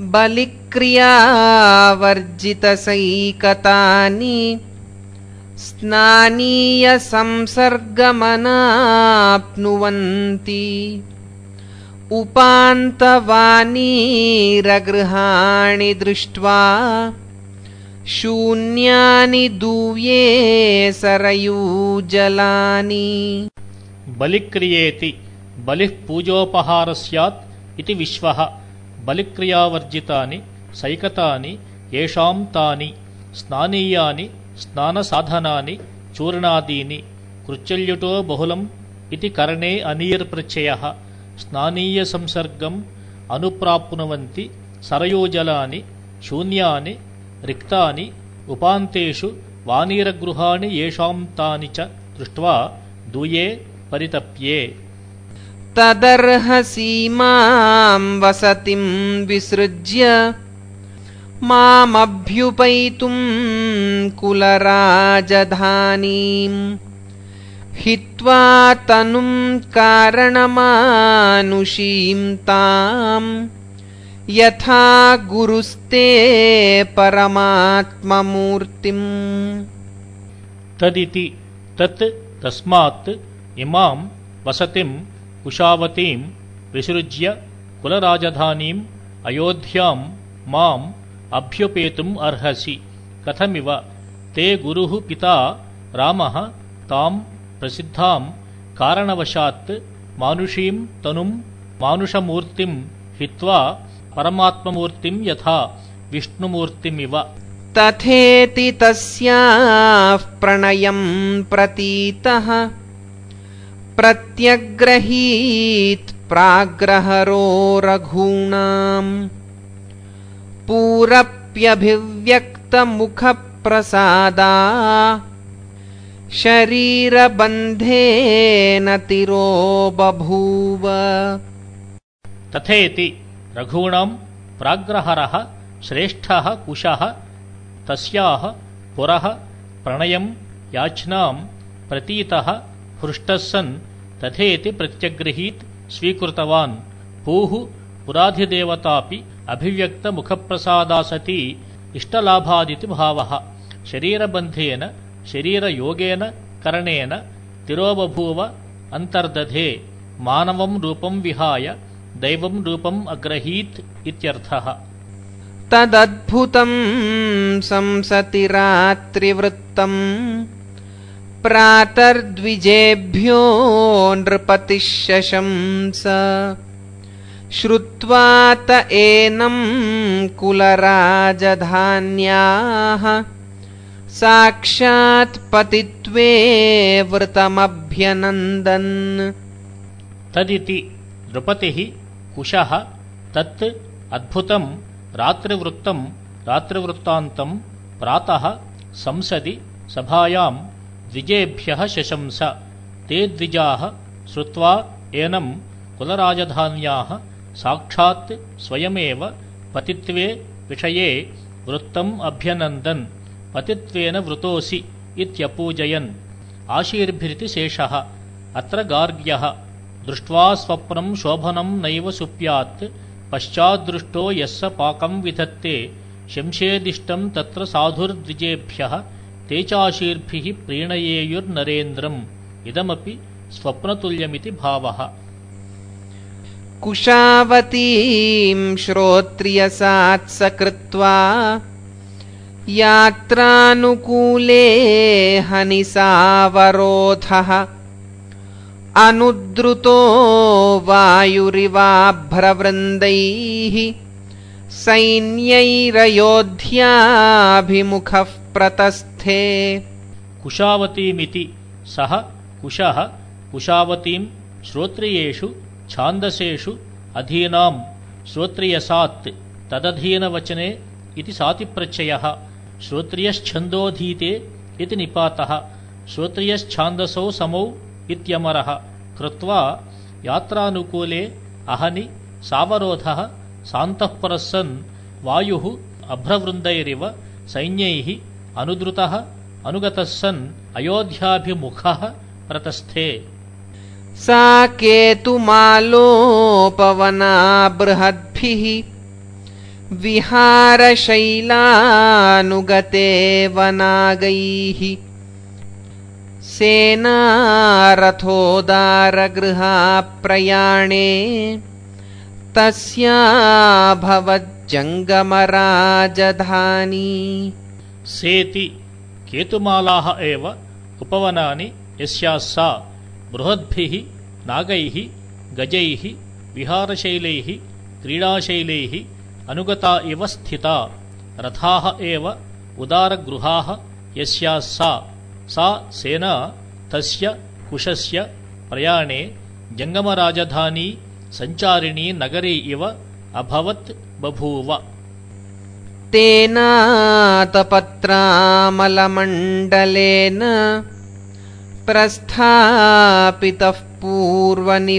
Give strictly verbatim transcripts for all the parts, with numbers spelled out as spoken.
बलिक्रियावर्जितसैकतानि स्नानीयसंसर्गमनाप्नुवन्ति उपान्तवानीरगृहाणि दृष्ट्वा शून्यानि दूये सरयूजलानि। बलिक्रियेति बलिः पूजोपहार स्यात् इति विश्वः। बलिक्रियावर्जितानि सैकतानि येषां तानि स्नानीयानि स्नानसाधनानि चूर्णादीनि। कृच्चल्युटो बहुलम् इति करणे अनीर्प्रत्ययः। स्नानीयसंसर्गम् अनुप्राप्नुवन्ति सरयूजलानि शून्यानि रिक्तानि उपान्तेषु वानीरगृहाणि येषां तानि च दृष्ट्वा दूये परितप्ये। तदर्हसीमां वसतिं विसृज्य मामभ्युपैतुं कुलराजधानीम् हित्वा तनुं कारणमानुषीं ताम् यथा गुरुस्ते परमात्ममूर्तिम्। तदिति तत् तस्मात् इमां वसतिं कुशावतीं विसृज्य कुलराजधानीम् अयोध्यां माम् अभ्युपेतुम् अर्हसि। कथमिव ते गुरुः पिता रामः तां प्रसिद्धां कारणवशात् मानुषीं तनुं मानुषमूर्तिं हित्वा परमात्ममूर्तिं यथा विष्णुमूर्तिमिव। तथेति तस्याः प्रणयं प्रतीतः प्रत्यग्रहीत् प्राग्रहरो रघूणाम् पूरप्यभिव्यक्तमुखप्रसादा शरीरबन्धेन तिरो बभूव। तथेति रघूणां प्राग्रहरः श्रेष्ठः कुशः तस्याः पुरः प्रणयं याचनां प्रतीतः हृष्टः सन् तथेति प्रत्यग्रहीत् स्वीकृतवान्। पूः पुराधिदेवतापि अभिव्यक्तमुखप्रसादा सती इष्टलाभादिति भावः। शरीरबन्धेन शरीरयोगेन करणेन तिरोबभूव अन्तर्दधे मानवं रूपं विहाय दैवं रूपम् अग्रहीत् इत्यर्थः। तदद्भुतं संसति रात्रिवृत्तम् प्रातर्द्विजेभ्यो नृपतिः शशंस श्रुत्वा त एनं कुलराजधान्याः साक्षात् पतित्वे वृतमभ्यनन्दन्। तदिति नृपतिः कुशः तत् अद्भुतं रात्रिवृत्तं रात्रिवृत्तान्तं प्रातः संसदि सभायां द्विजेभ्यः शशंस। ते द्विजाः श्रुत्वा एनं कुलराजधान्याः साक्षात् स्वयमेव पतित्वे विषये वृत्तम् अभ्यनन्दन्। पतित्वेन वृतोऽसि इत्यपूजयन् आशीर्भिरिति शेषः। अत्र गार्ग्यः दृष्ट्वा स्वप्नं शोभनं नैव सुप्यात् पश्चाद्दृष्टो यस्य पाकं विधत्ते शंसेदिष्टं तत्र साधुर्द्विजेभ्यः ते चाशीर्भिः प्रीणयेयुर्नरेन्द्रम्। इदमपि स्वप्नतुल्यमिति भावः। कुशावतीं श्रोत्रियसात्सकृत्वा यात्रानुकूले हनिसावरोधः अनुद्रुतो वायुरिवाभ्रवृन्दैः सैन्यैरयोध्याभिमुखः प्रतस्थे। कुशावतीमिति सः कुशः कुशावतीं श्रोत्रियेषु छान्दसेषु अधीनां श्रोत्रियसात् तदधीनवचने इति सातिप्रत्ययः। श्रोत्रियश्छन्दोधीते इति निपातः। श्रोत्रियश्छान्दसौ समौ इत्यमरः कृत्वा यात्रानुकूले अहनि सावरोधः सान्तःपुरः सन् वायुः अभ्रवृन्दैरिव सैन्यैः अनुद्रुतः अनुगतः सन् अयोध्याभिमुखः प्रतस्थे। सा केतुमालोपवना बृहद्भिः विहारशैलानुगते वनागैः सेनारथोदारगृहाप्रयाणे तस्याभवज्जङ्गमराजधानी सेति केतुमालाः एव उपवनानि यस्याः सा बृहद्भिः नागैः गजैः विहारशैलैः क्रीडाशैलैः अनुगता इव स्थिता रथाः एव उदारगृहाः यस्याः सा सा सेना तस्य कुशस्य प्रयाणे जङ्गमराजधानी सञ्चारिणी नगरी इव अभवत् बभूव। तेनातपत्रामलमण्डलेन प्रस्थापितः पूर्वनिवासभूमिम्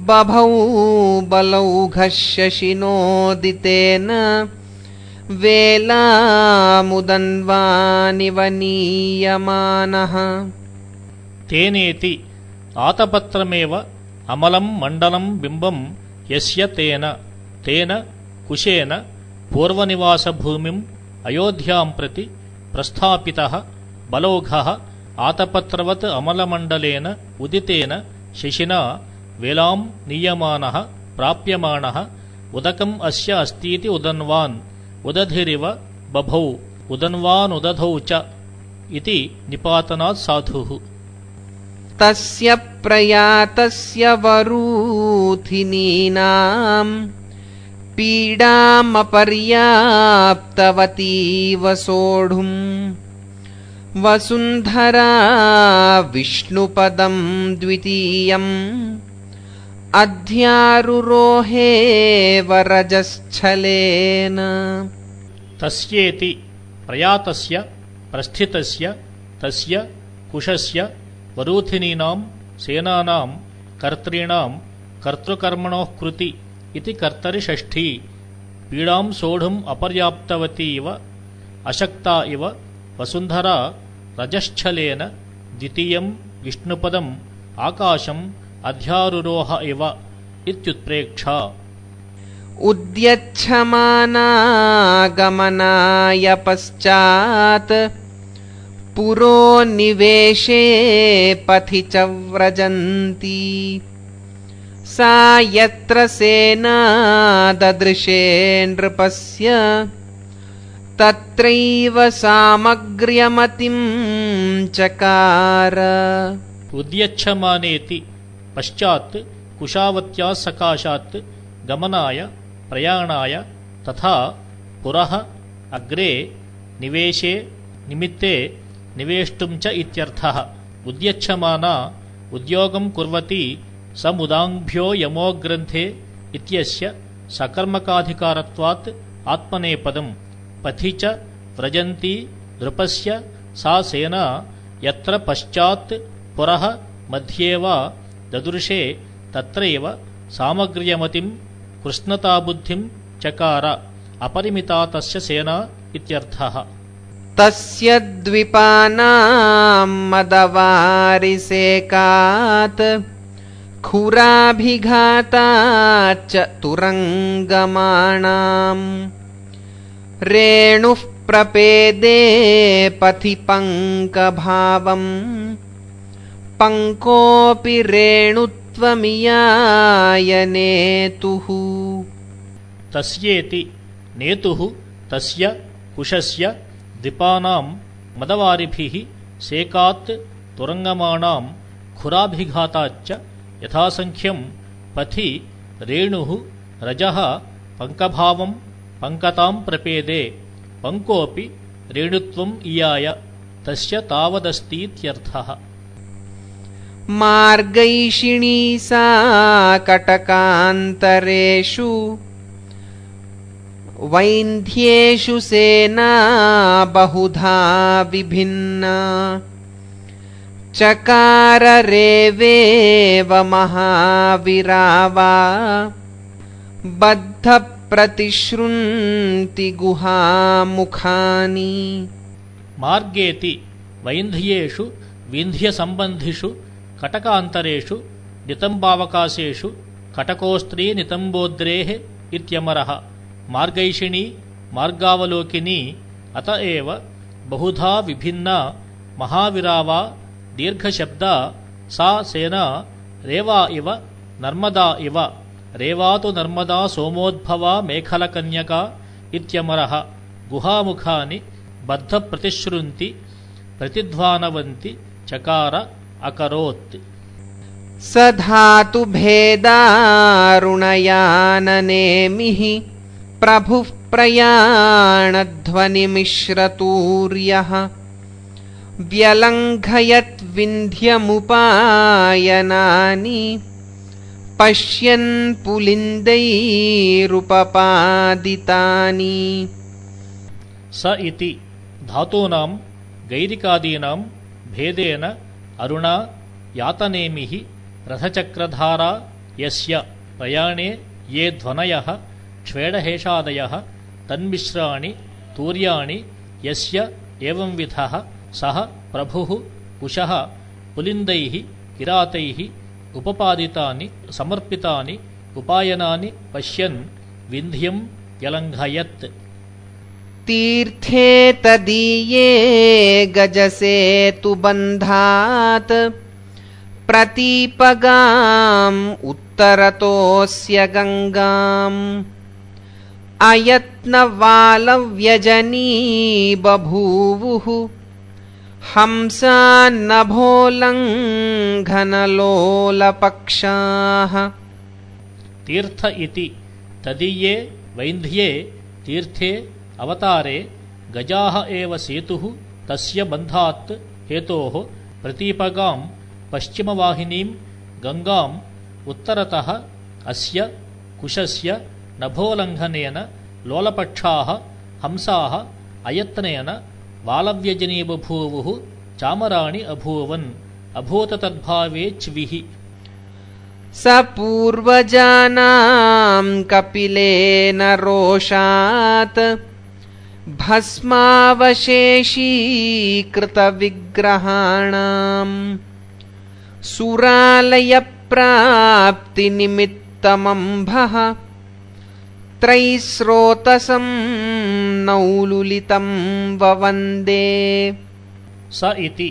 बभौ बलौघः शशिनोदितेन वेलामुदन्वानिव नीयमानः। तेनेति आतपत्रमेव अमलं मण्डलं बिम्बं यस्य तेन तेन कुशेन पूर्वनिवासभूमिम् अयोध्यां प्रति प्रस्थापितः बलौघः आतपत्रवत् अमलमण्डलेन उदितेन शशिना वेलां नीयमानः प्राप्यमाणः उदकम् अस्य अस्तीति उदन्वान् उदधिरिव बभौ उदन्वानुदधौ च इति निपातनात् साधुः। तस्य प्रयातस्य वरूथिनीनां पीडामपर्याप्तवतीव सोढुम् वसुन्धरा विष्णुपदं द्वितीयम् अध्यारुरोहे वरजश्छलेन। तस्येति प्रयातस्य प्रस्थितस्य तस्य कुशस्य वरूथिनीनां सेनानां कर्तॄणां कर्तृकर्मणोः कृति इति कर्तरिषष्ठी पीडां सोढुम् अपर्याप्तवती इव अशक्ता इव वसुन्धरा रजश्छलेन द्वितीयं विष्णुपदम् आकाशम् अध्यारुरोह इव इत्युत्प्रेक्षा। उद्यच्छमाना गमनाय पश्चात् पुरो निवेशे पथि च व्रजन्ती सा यत्र सेना ददृशे नृपस्य तत्रैव सामग्र्यमतिं चकार। उद्यच्छमानेति पश्चात् कुशावत्या सकाशात् गमनाय प्रयाणाय तथा पुरः अग्रे निवेशे निमित्ते निवेष्टुं च इत्यर्थः। उद्यच्छमाना उद्योगं कुर्वती समुदाङ्भ्यो यमो ग्रन्थे इत्यस्य सकर्मकाधिकारत्वात् आत्मनेपदम् पथि च व्रजन्ती नृपस्य सा सेना यत्र पश्चात् पुरः मध्ये वा ददृशे तत्रैव सामग्र्यमतिं कृष्णताबुद्धिं चकार अपरिमिता तस्य सेना इत्यर्थः। तस्य द्विपानां मदवारिसेकात् खुराभिघाताच्च तुरङ्गमाणाम् रेणुः प्रपेदे पथि पङ्कभावम् पङ्कोऽपि रेणुत्वमियाय नेतुः। तस्येति नेतुः तस्य कुशस्य द्विपानां मदवारिभिः सेकात् तुरङ्गमाणां खुराभिघाताच्च यथासङ्ख्यं पथि रेणुः रजः पङ्कभावं पङ्कतां प्रपेदे पङ्कोऽपि रेणुत्वम् इयाय तस्य तावदस्तीत्यर्थः। मार्गैषिणी सा कटकान्तरेषु वैन्ध्येषु सेना बहुधा विभिन्ना चकार रेवेव महाविरावा बद्धप्रतिश्रुन्ति गुहामुखानि। मार्गेति वैन्ध्येषु विन्ध्यसम्बन्धिषु कटकान्तरेषु नितम्बावकाशेषु कटकोस्त्री नितम्बोद्रेः इत्यमरः मार्गैषिणी मार्गावलोकिनी अत एव बहुधा विभिन्ना महाविरावा दीर्घशब्दा सा सेना रेवा इव नर्मदा इव रेवा तु नर्मदा सोमोद्भवा मेखलकन्यका इत्यमरः गुहामुखानि बद्धप्रतिश्रुन्ति प्रतिध्वानवन्ति चकार अकरोत् स धातुभेदारुणयाननेमिः प्रभुः प्रयाणध्वनिमिश्रतूर्यः व्यलङ्घयद्विन्ध्यमुपायनानि पश्यन् पुलिन्दैरुपपादितानि स इति धातूनां गैरिकादीनां भेदेन अरुणा यातनेमिः रथचक्रधारा यस्य प्रयाणे ये ध्वनयः क्ष्वेडहेषादयः तन्मिश्राणि तूर्याणि यस्य एवंविधः सः प्रभुः कुशः पुलिन्दैः किरातैः उपपादितानि समर्पितानि उपायनानि पश्यन् विन्ध्यं व्यलङ्घयत् तीर्थे तदीये गजसेतुबन्धात् प्रतीपगाम् उत्तरतोऽस्य गङ्गाम् अयत्नवालव्यजनी बभूवुः हंसान्नभोलङ्घनलोलपक्षाः तीर्थ इति तदीये वैन्ध्ये तीर्थे अवतारे गजाः एव सेतुः तस्य बन्धात् हेतोः प्रतीपगां पश्चिमवाहिनीं गङ्गाम् उत्तरतः अस्य कुशस्य नभोल्लङ्घनेन लोलपक्षाः हंसाः अयत्नेन वालव्यजनी बभूवुः चामराणि अभूवन् अभूत तद्भावे च्विः स पूर्वजानां कपिलेन रोषात् भस्मावशेषीकृतविग्रहाणाम् सुरालयप्राप्तिनिमित्तमम्भः त्रैस्रोतसं नौलुलितं ववन्दे स इति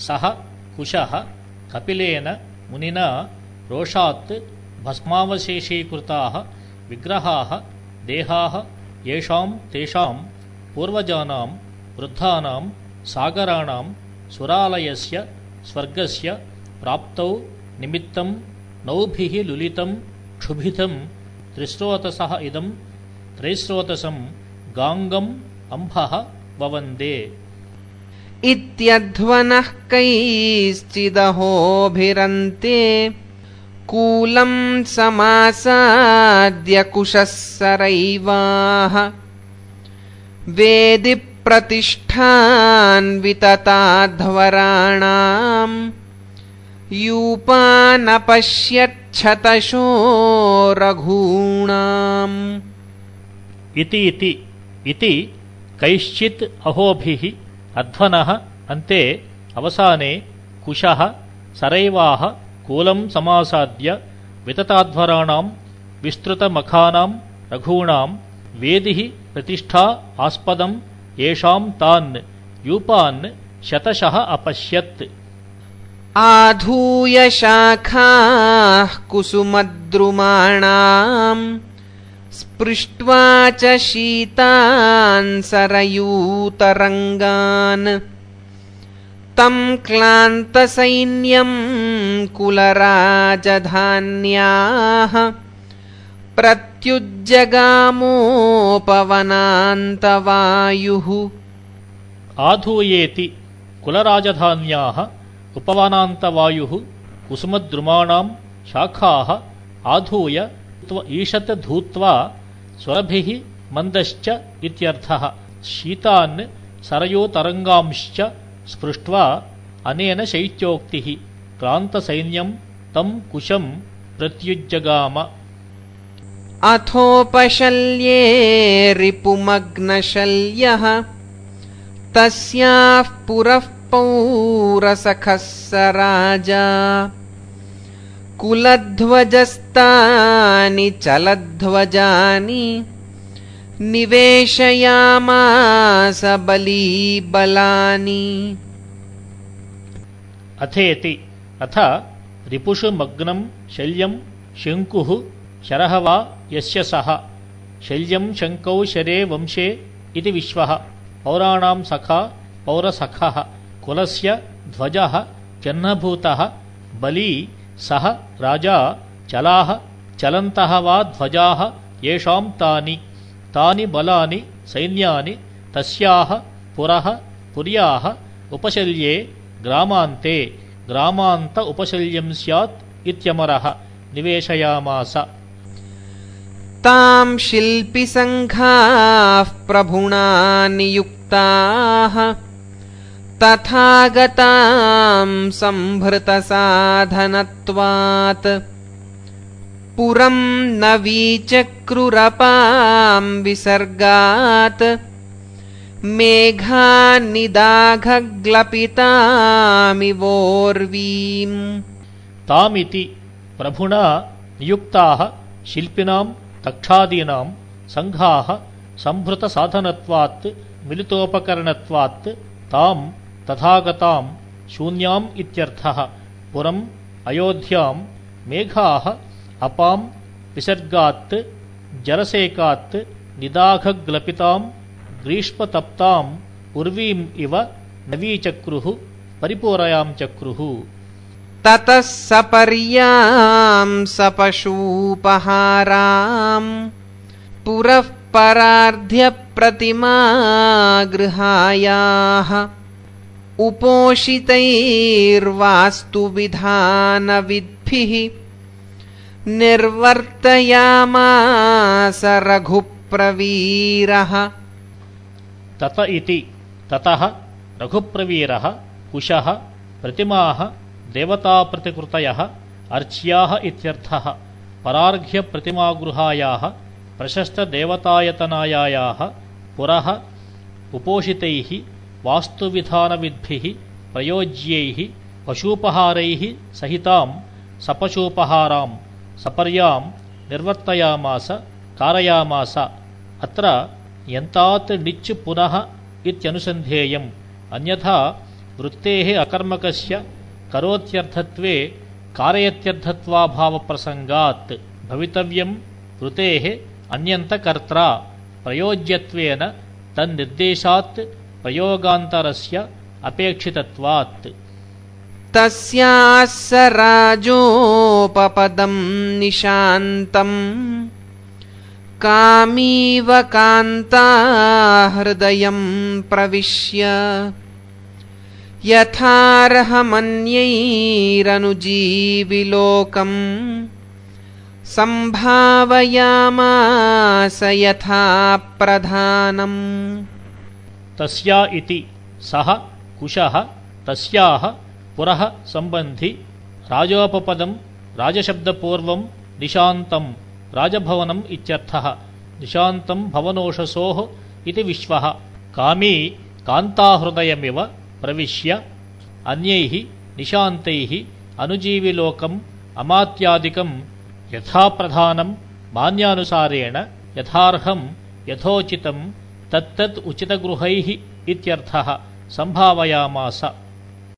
सः कुशः कपिलेन मुनिना रोषात् भस्मावशेषीकृताः विग्रहाः देहाः येषां तेषां पूर्वजानां वृद्धानां सागराणां सुरालयस्य स्वर्गस्य प्राप्तौ निमित्तं नौभिः लुलितं क्षुभितं त्रिस्रोतसः इदं त्रैस्रोतसं गाङ्गम् अम्भः ववन्दे इत्यध्वनः कैश्चिदहोभिरन्ते कूलं समासाद्य कुशः सरैवाः वेदि प्रतिष्ठान्वितताध्वराणाम् यूपानपश्यच्छतशो रघूणाम् इति इति इति कैश्चित् अहोभिः अध्वनः अन्ते अवसाने कुशः सरैवाः कूलं समासाद्य वितताध्वराणां विस्तृतमखानां रघूणां वेदिः प्रतिष्ठा आस्पदं येषां तान् यूपान् शतशः अपश्यत् आधूय शाखाः कुसुमद्रुमाणाम् स्पृष्ट्वा च शीतान् सरयूतरङ्गान् तं क्लान्तसैन्यं कुलराजधान्याः प्रत्युज्जगामोपवनान्तवायुः आधूयेति कुलराजधान्याः उपवनान्तवायुः कुसुमद्रुमाणां शाखाः आधूय ईशत् धूत्वा स्वरभिः मन्दश्च इत्यर्थः शीतान् सरयोतरङ्गांश्च स्पृष्ट्वा अनेन शैत्योक्तिः क्लान्तसैन्यं तं कुशं प्रत्युज्जगाम अथोपशल्ये रिपुमग्नशल्यः तस्याः पुरः पौरसखः स राजा कुलध्वजस्तानि चलध्वजानि निवेशयामास बलीबलानि। अथेति अथ रिपुषु मग्नं शल्यं शङ्कुः शरः वा यस्य सः शल्यं शङ्कौ शरे वंशे इति विश्वः पौराणां सखा पौरसखः कुलस्य ध्वजः चिह्नभूतः बली सः राजा चलाः चलन्तः वा ध्वजाः येषां तानि तानि बलानि सैन्यानि तस्याः पुरः पुर्याः उपशल्ये ग्रामान्ते ग्रामान्त उपशल्यं स्यात् इत्यमरः निवेशयामास। तां शिल्पिसङ्घाः प्रभुणा नियुक्ताः तथागतां संभृतसाधनत्वात् पुरं न वीचक्रुरपां विसर्गात् मेघान्निदाघग्लपितामिवोर्वीम्। तामिति प्रभुणा नियुक्ताः शिल्पिनां तक्षादीनां संघाः संभृतसाधनत्वात् मिलितोपकरणत्वात् तां तथागतां शून्याम् इत्यर्थः पुरम् अयोध्यां मेघाः अपां विसर्गात् जलसेकात् निदाघग्लपितां ग्रीष्मतप्ताम् उर्वीम् इव नवीचक्रुः परिपूरयां चक्रुः। ततः सपर्यां सपशूपहारां पुरः परार्ध्य प्रतिमागृहायाः उपोषितैर्वास्तुविधानविद्भिः निर्वर्तयामास रघुप्रवीरः। तत इति ततः रघुप्रवीरः कुशः प्रतिमाः देवताप्रतिकृतयः अर्च्याः इत्यर्थः परार्घ्यप्रतिमागृहायाः प्रशस्तदेवतायतनायायाः पुरः उपोषितैः वास्तुविधानविद्भिः प्रयोज्यैः पशूपहारैः सहितां सपशूपहारां सपर्यां निर्वर्तयामास कारयामास। अत्र यन्तात् णिच् पुनः इत्यनुसन्धेयम् अन्यथा वृत्तेः अकर्मकस्य करोत्यर्थत्वे कारयत्यर्थत्वाभावप्रसङ्गात् भवितव्यं वृतेः अन्यन्तकर्त्रा प्रयोज्यत्वेन तन्निर्देशात् प्रयोगान्तरस्य अपेक्षितत्वात्। तस्याः स राजोपपदं निशान्तम् कामीव कान्ताहृदयं प्रविश्य यथार्हमन्यैरनुजीविलोकम् सम्भावयामास यथा प्रधानम्। तस्या इति सः कुशः तस्याः पुरः सम्बन्धि राजोपपदं राजशब्दपूर्वं निशान्तं राजभवनम् इत्यर्थः निशान्तं भवनोषसोः इति विश्वः कामी कान्ताहृदयमिव प्रविश्य अन्यैः निशान्तैः अनुजीविलोकम् अमात्यादिकं यथाप्रधानं मान्यानुसारेण यथार्हं यथोचितं तत्तत् उचितगृहैः इत्यर्थः सम्भावयामास।